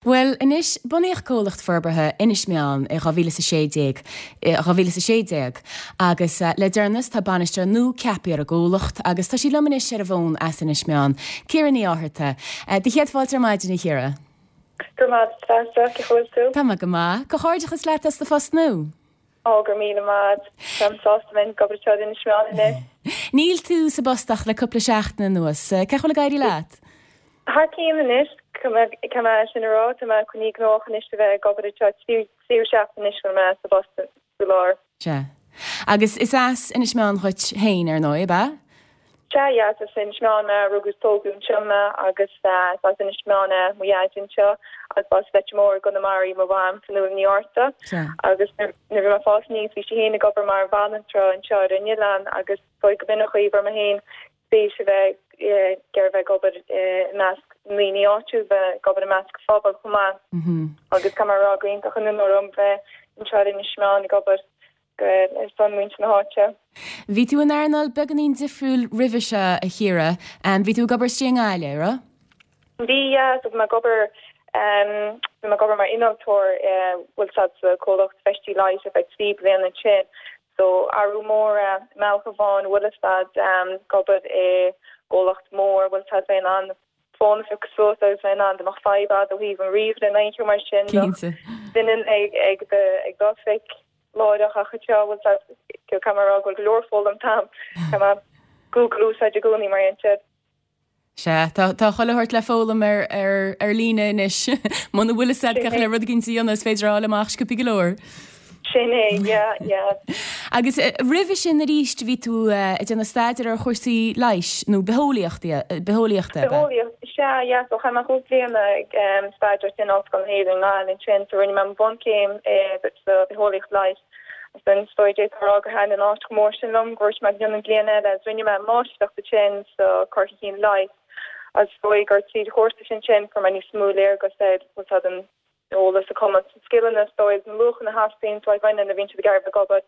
Bhuel, anois, bunaíodh comhlacht forbartha Inis Meáin i 2016, 2016, agus le deireanas tá bainisteoir nua ceaptha ar an gcomhlacht agus tá sí liom anois ar an bhfón as Inis Meáin, Ciara Ní Fhátharta. Do chéad fáilte ar maidin, a Chiara. Go raibh maith agat, Treasa, cén chaoi a bhfuil tú? Tá mé go maith. Comhghairdeachas leat as do phost nua. Ó, go raibh míle maith. Táim sásta bheith ag obair anseo in Inis Meáin anois. Níl tú sa bpost ach le cúpla seachtain anuas. Cén chaoi a bhfuil ag éirí leat? Thar cionn anois, caithfidh mé sin a rá. Tá mé coinnithe gnóthach anois a bheith ag obair anseo tríú seachtain anois go bhfuil mé sa bpost faoi láthair. Sea. Agus is as Inis Meáin dhuit féin, ar ndóigh, ab ea? Sea, yeah, is as Inis Meáin mé, rugadh is tógadh anseo mé agus is as Inis Meáin é mo dhaid anseo agus b'as Leitir Móir i gConamara í mo mham, Fionnuala Ní Fhátharta. Sea. Agus nuair a bhí mé ag fás aníos bhí sí féin ag obair mar bhanaltra anseo ar an oileán agus is dóigh go b'in an chaoi a bhfuair mé féin spéis a bheith ag iarraidh bheith ag obair i measc na ndaoine áitiúil, bheith ag obair i measc an phobail chomh maith agus caithfidh mé a rá gur iontach an onóir dom bheith anseo ar Inis Meáin ag obair ar son muintir na háite. Bhí tú in earnáil beagáinín difriúil roimhe seo, a Chiara. Bhí tú ag obair istigh i nGaillimh, an raibh? Bhí, yeah. So bhí mé ag obair, bhí mé ag obair mar innealtóir, bhfuil 's a'd sa comhlacht feistí leighis ar feadh 3 bliana ansin. So athrú mór i mbealach amháin, bhfuil 'fhios a'd, ag obair i gcomhlacht mór, bhfuil 's a'd bheith in ann fón a phiocadh suas agus bheith in ann dá mbeadh fadhb a'd ó thaobh an ríomhaire nó aon cheo mar sin, Cinnte. duine ag ag do ag d'oifig láithreach ach anseo, bhfuil 's a'd, caithfidh mé a rá go bhfuil go leor foghlamtha a'm, caithfidh mé Google a úsáid i gcónaí mar aon siad. Sea, tá, tá chuile shórt le foghlaim ar, ar, ar líne anois. Muna bhfuil fhios a'd cén chaoi le rud éicint a dhéanamh, is féidir a fháil amach sciobthaí go leor. Sin é, yeah, yeah. Agus roimhe sin arís, bhí tú ag déanamh staidéir ar chúrsaí leighis, nó bitheolaíochta, bitheolaíochta, ab ea? Bitheolaíocht, sea, yeah. So chaith mé chúig bliana ag staidéar in Ollscoil na hÉireann i nGaillimh ansin. So rinne mé mo bhunchéim sa bhitheolaíocht leighis. Agus is dóigh d'fhéadfá a rá gur thaitin an áit chomh mór sin liom go ndúirt mé go ndéanfainn bliain eile agus rinne mé máistreacht ansin sa cur chun cinn leighis agus is dóigh gur tríd an chúrsa sin sin fuair mé níos mó léargas ar bhfuil 's a'd an eolas, an cumas, na scileanna is dóigh, na luachanna a theastaíonn uait nuair a bhíonn siad ag iarraidh bheith ag obair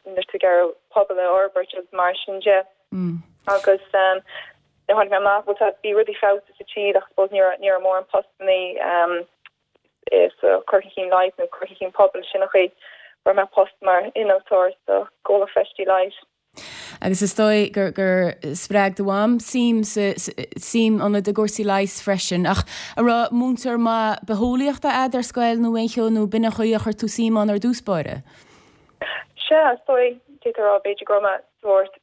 nuair tú ag iarraidh pobal a fhorbairt agus mar sin de. Agus nuair a tháinig mé amach bhfuil 's a'd bhí rudaí feabhsaithe sa tír ach I suppose ní raibh ní raibh mórán postannaí sa cur chun cinn leighis nó cur chun cinn pobail, sin an chaoi a bhfuair mé post mar innealtóir sa gcomhlacht feistí leighis. Agus is dóigh gur gur spreag do mham suim sa suim ionat i gcúrsaí leighis freisin. Ach an raibh múinteoir maith bitheolaíochta a'd ar scoil nó aon cheo nó b'in an chaoi a chuir tú suim ann ar dtús báire? Sea, is dóigh, d'fhéadfá a rá b'fhéidir go raibh mé sórt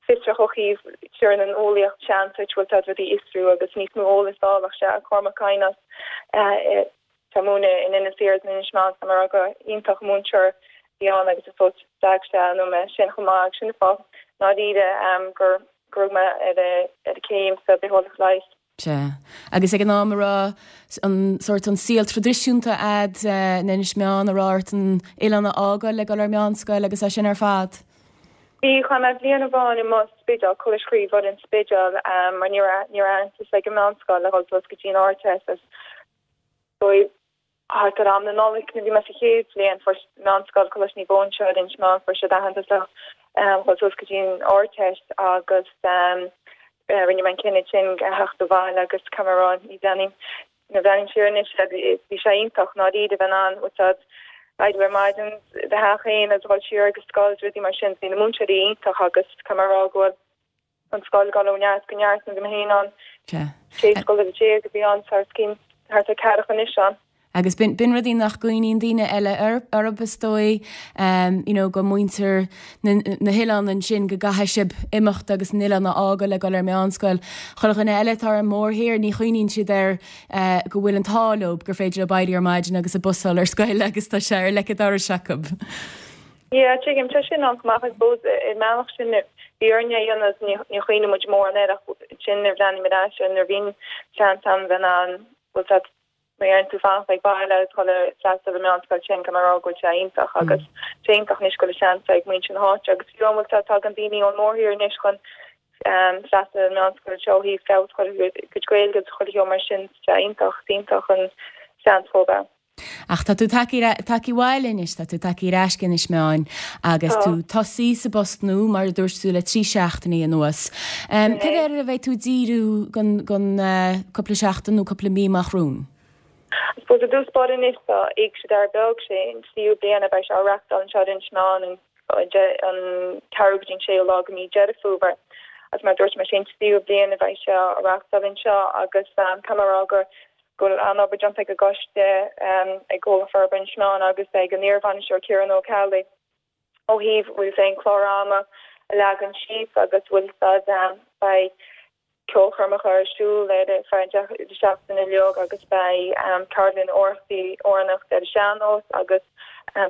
fiosrach ó thaobh sin an eolaíocht seans duit bhfuil 's a'd rudaí a fhiosrú agus níos mó eolais a fháil ach sea Cormac Kynos atá ag múineadh in Inis Oírr in Inis Meáin tá mé ag rá go iontach múinteoir a bhí ann agus is dóigh spreag sé ionam é sin chomh maith agus sin an fáth i ndáiríre gur gur rug mé ar ar an céim sa bitheolaíocht leighis. Sea. Agus ag an am a raibh an sórt an saol traidisiúnta a'd in Inis Meáin, a raibh ort an oileán a fhágáil le dul ar meánscoil agus é sin ar fad? Bhí, chaith mé bliain amháin amuigh sa Spidéal, Coláiste Chroí Mhuire an Spidéal, mar ní raibh ní raibh aitheantas ag an meánscoil le dhul suas go dtí an Ardteist agus Thart ar am na Nollag nuair a bhí mé sa chéad bhliain, fuair Meánscoil Coláiste Naomh Eoin anseo ar Inis Meáin, fuair siad aitheantas le dhul suas go dtí an Ardteist agus rinne mé an cinneadh sin a theacht abhaile agus caithfidh mé a rá ní bhreathnaím, nuair a bhreathnaím siar anois bhí sé iontach i ndáiríre bheith in ann bhfuil 's a'd éirí ar maidin i do theach féin agus dhul siar ag an scoil is rudaí mar sin. Bhí na múinteoirí iontach agus caithfidh mé a rá go bhfuil an scoil ag dul ó neart go neart nuair a bhí mé féin ann. Sea. 16 scoláire a bhí ann tá os cionn thart ar ceathracha anois ann. Agus b'in, b'in rudaí nach gcuimhníonn daoine eile orthu is dóigh, you know, go muintir na, na hoileán ansin go gcaithfidh sibh imeacht agus an oileán a fhágáil le dul ar meánscoil. Chuile dhuine eile atá ar an mórthír, ní chuimhníonn siad air go bhfuil an t-ádh leo gur féidir leo éirí ar maidin agus an bus a fháil ar scoil agus tá sé ar leic an dorais acu. Yeah, tuigim, tá sin ann chomh maith, I suppose, i mbealach sin bhí orainn é a dhéanamh, ní chuimhníonn muid mórán air ach ansin nuair a bhreathnaím ar ais air nuair a bhíonn seans ann bheith in ann, bhfuil 's a'd, má deireann tú fanacht ag baile agus dhul ar freastal ar an meánscoil sin, caithfidh mé a rá go bhfuil sé iontach agus sé iontach anois go bhfuil seans ag muintir na háite agus fiú an bhfuil 's a'd tagann daoine ón mórthír anois chun freastal ar an meánscoil seo ó thaobh feabhas a chur ar a gcuid Gaeilge agus chuile cheo mar sin, sé iontach, is iontach an seans dhóibh é. Ach tá tú tagtha abhaile anois, tá tú tagtha ar ais go Inis Meáin agus tú tosaithe sa bpost nua, mar a dúirt tú, le 3 seachtainí anuas. Cad air a bheidh tú ag díriú don cúpla seachtain nó cúpla mí amach romhainn? Suppose i dtús báire anois tá Éigse Dara Beag, sé an tríú bliain a bheidh sé á reachtáil anseo ar Inis Meáin an an ceathrú go dtí an séú lá de mí Deireadh Fómhair. Agus mar a dúirt mé sé an tríú bliain a bheidh sé á reachtáil anseo agus caithfidh mé a rá go go bhfuil an-obair déanta ag an gcoiste, ag Comhlacht Forbartha Inis Meáin agus ag an iarbhainisteoir Ciarán Ó Ceallaigh ó thaobh bhfuil fhios a'd an clár ama a leagan síos agus bhfuil fhios a'd beidh ceolchoirmeacha ar siúl ar feadh an deireadh seachtaine uilig agus beidh ceardlann amhránaíochta ar an sean-nós agus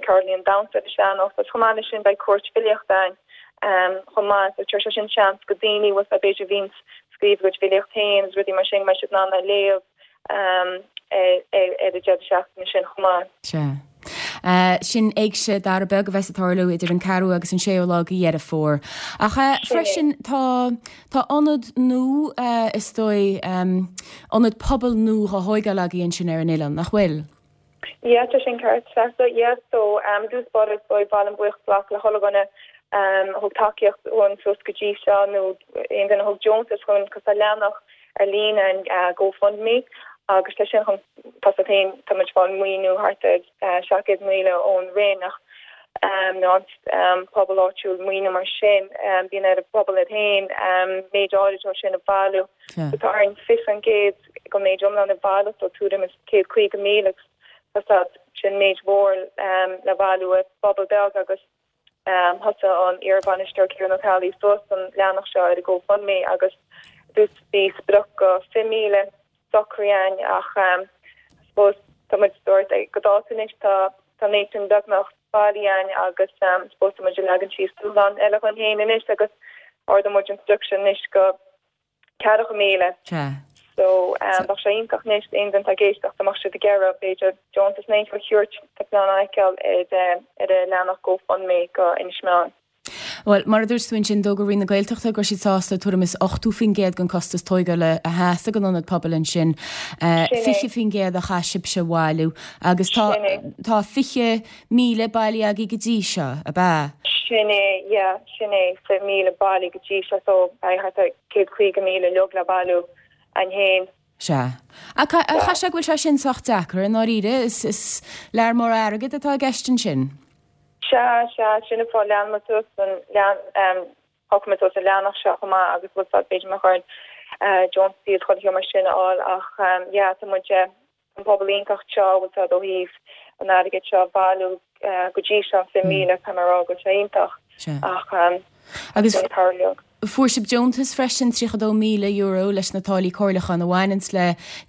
ceardlann damhsa ar an sean-nós agus chomh maith leis sin beidh cúirt filíochta ann chomh maith so tabharfaidh sé sin seans go daoine bhfuil fhios a'd b'fhéidir a bhíonns ag scríobh a gcuid filíocht féin agus rudaí mar sin go mbeidh siad in ann a léamh ar an deireadh seachtaine sin chomh maith. Sea. Sin Éigse Dara Beag a bheas ag tarlú idir an ceathrú agus an séú lá de Dheireadh Fómhair. Ach freisin tá tá ionad nua is dóigh, ionad pobail nua dhá thóigeáil agaibh ansin ar an oileán, nach bhfuil? Yeah, tá sin ceart, Treasa. Yeah, so i dtús báire is dóigh ba mhaith liom buíochas a ghlacadh le chuile dhuine a thug tacaíocht dhúinn suas go dtí seo nó aon duine a thug deontas dhúinn cos tá leathanach ar líne an GoFundMe agus tá sin chun tá fhios a'd féin tá muid ag fáil maoiniú thart ar 700,000 ón Roinn ach nó an pobal áitiúil maoiniú mar sin bíonn ar an bpobal iad féin méid áirid ó sin a bhailiú. So tá orainn 20% den méid iomlán a bhailiú so tuairim is 150,000 agus tá fhios a'd sin méid mhór le bailiú i bpobal beag agus thosaigh an iarbhainisteoir Ciarán Ó Ceallaigh suas an leathanach seo ar an GoFundMe agus i dtús bhí sprioc go 20,000 socraithe againn ach I suppose tá muid dúirt go dáta anois tá tá an méid sin beagnach bailithe againn agus I suppose tá muid ag leagan síos dúshlán eile dhúinn féin anois agus ardóidh muid an sprioc sin anois go 40,000. Sea. So, bheadh sé iontach anois aon duine atá ag éisteacht dá mbeadh siad ag iarraidh, b'fhéidir, deontas nó aon cheo a thabhairt, tá plean á fheiceáil ar an leathanach GoFundMe go Inis Meáin. Bhuel, mar a dúirt tú ansin, d'fhógair Roinn na Gaeltachta go raibh siad sásta tuairim is 80% den costas tóigeála a sheasamh don ionad pobail ansin, 20% a chaith sibhse a bhailiú agus tá tá 20,000 bailithe agaibh go dtí seo, ab ea? Sin é, yeah, sin é, 20,000 bailithe go dtí seo so beidh thart ar 150,000 uilig le bailiú againn féin. Sea. Ach chaithfidh sé go bhfuil sé sin sách deacair, i ndáiríre, is lear mór airgid atá i gceist ansin. Sea, sea, sin an fáth lean muid suas an, lean, em, shocraigh muid suas an leathanach seo chomh maith agus bhfuil fhios a'd b'fhéidir mbeadh orainn eh deontaisí is chuile cheo mar sin a fháil ach em yeah tá muid eh an pobal iontach seo bhfuil fhios a'd ó thaobh an airgid seo a bhailiú go dtí seo, an 20,000, tá mé ag rá go bhfuil sé iontach ach Agus fuair sibh deontas freisin, €32,000 leis na táillí comhairliúcháin a bhaineanns le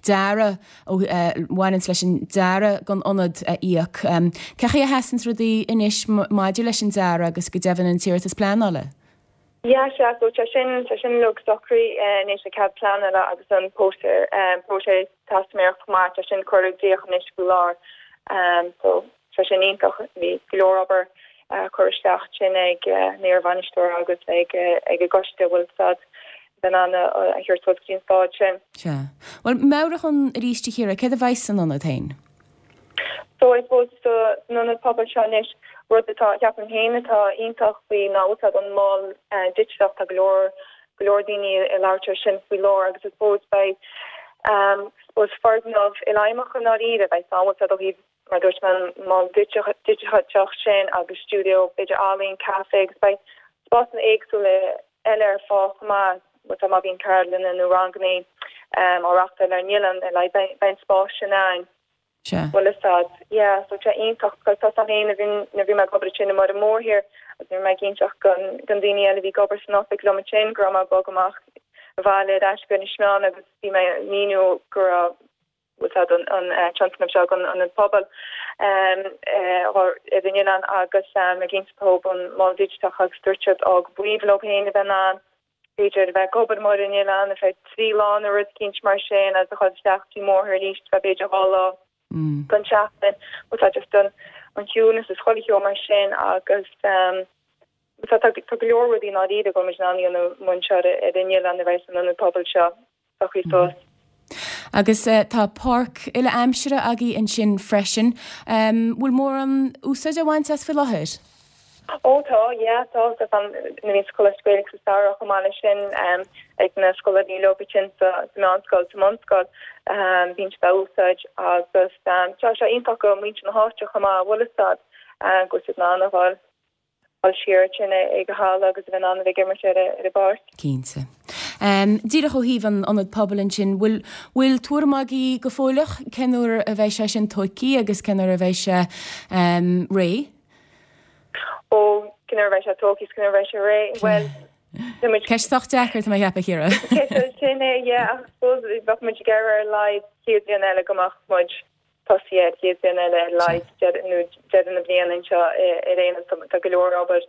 dearadh, a bhaineanns leis an dearadh don ionad a íoc. Cén chaoi a sheasanns rudaí anois maidir leis an dearadh agus go deimhin an t-iarratas pleanála? Yeah, sea, so tá sin, tá sin uilig socraithe anois, an cead pleanála agus an próiseas teistiméireachta chomh maith, tá sin curtha i gcrích anois faoi láthair. So tá sin iontach, bhí go leor obair curtha isteach ansin ag an iarbhainisteoir agus ag ag an gcoiste a bhfuil fhios a'd bheith in ann a thabhairt suas go dtí an stáid sin. Sea. Bhuel, meabhraigh dhúinn arís a Chiara, céard a bheidh san ionad féin? So I suppose san ionad pobail seo anois, rud atá, ceapaim féin atá iontach faoi ná bhfuil fhios a'd an mol digiteach, tá go leor, go leor daoine ag labhairt ar sin faoi láthair agus I suppose beidh suppose foirgneamh ilfheidhmeach i ndáiríre, beidh bhfuil fhios a'd ó thaobh mar a dúirt mé an mol digiteach sin agus stiúideo b'fhéidir ealaíon, caife agus beidh spásanna éagsúla eile ar fáil chomh maith, bhfuil fhios a'd má bhíonn ceardlanna nó ranganna á reachtáil ar an oileán, like beidh an spás sin ann. Sea. Bhfuil fhios a'd. Yeah, so tá sé iontach because tá fhios a'm féin nuair a bhí mé ag obair ansin i mBaile Mhúirne agus nuair a bhí mé ag inseacht don don daoine eile a bhí ag obair san oifig liom ansin go raibh mé ag bogadh amach abhaile ar ais go Inis Meáin agus bhí mé ag míniú go raibh bhfuil fhios a'd an an tionscnamh seo don ionad pobail ar an oileán agus ag inse dóibh an mol digiteach agus dúirt siad á go b'aoibhinn leo féin a bheith in ann b'fhéidir a bheith ag obair amuigh ar an oileán ar feadh 3 lá nó rud eicínt mar sin agus a dhul isteach dtí Mórthir arís ar feadh b'fhéidir 2 lá don tseachtain. Bhuel tá just an an ciúnas is chuile cheo mar sin agus tá tá go leor rudaí i ndáiríre go bhfuil muid in ann a dhéanamh amuigh anseo ar an oileán a bheidh san ionad pobail seo socraithe suas. Agus tá páirc uile-aimsire agaibh ansin freisin. Bhfuil mórán úsáid á bhaint as faoi láthair? Ó tá, yeah, tá, tá nuair a bhíonn sa Choláiste Gaelach sa samhradh chomh maith leis sin ag na scoláirí leo ansin sa meánscoil, sa mbunscoil, bíonn siad á úsáid agus tá sé iontach do mhuintir na háite chomh maith, bhfuil fhios a'd, go bhfuil siad in ann a dhul siar ansin ag an halla agus a bheith in ann a bheith ag imirt ar an bpáirc. Cinnte. Díreach ó thaobh an ionad pobail ansin, bhfuil, bhfuil tuairim agaibh go fóilleach cén uair a bheidh sé sin tóigthe agus cén uair a bheidh sé réidh? Ó, cén uair a bheidh sé tógtha is cén uair a bheidh sé réidh? Bhuel, tá muid. Ceist sách deacair, tá mé a cheapadh, a Chiara. Ceist sin é, yeah, ach I suppose bheadh muid ag iarraidh ar a laghad chéad bhliain eile go mbeadh muid tosaithe air, chéad bhliain eile ar a laghad, deireadh, nó deireadh na bliana anseo ar aon nós. Tá go leor obair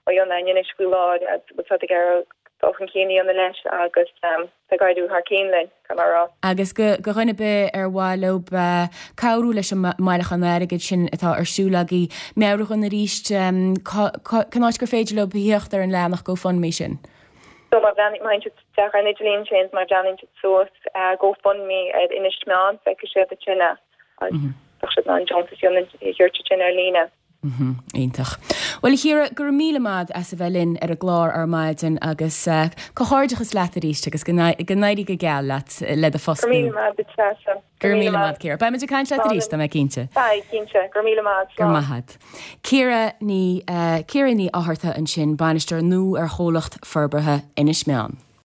á dhéanamh againn anois faoi láthair agus tá ag iarraidh dul chun cinn a dhéanamh leis agus tá ag éirí thar cinn linn, caithfidh mé a rá. Agus do dhuine ar bith ar mhaith leo cabhrú leis an mbailiúchán airgid sin atá ar siúl agaibh, meabhraigh dhúinn arís cén áit gur féidir leo theacht ar an leathanach GoFundMe sin. So má bhreathnaíonn siad isteach ar an idirlíon sin, má bhreathnaíonn siad suas GoFundMe ar Inis Meáin, feicfidh siad ansin é agus tá siad in ann deontas a dhéanamh ansin ar líne. Iontach. Bhuel, a Chiara, go raibh míle maith as a bheith linn ar an gclár ar maidin agus comhghairdeachas leat arís agus go n-éirí go geal leat le do phost nua. Go raibh míle maith agat, Treasa. Go raibh míle maith, Ciara. Beidh muid ag caint leat arís, tá mé cinnte. Beidh, cinnte. Go raibh míle maith. Go raibh maith agat. Ciara Ní Ciara Ní Fhátharta ansin, bainisteoir nua ar Chomhlacht Forbartha Inis Meáin.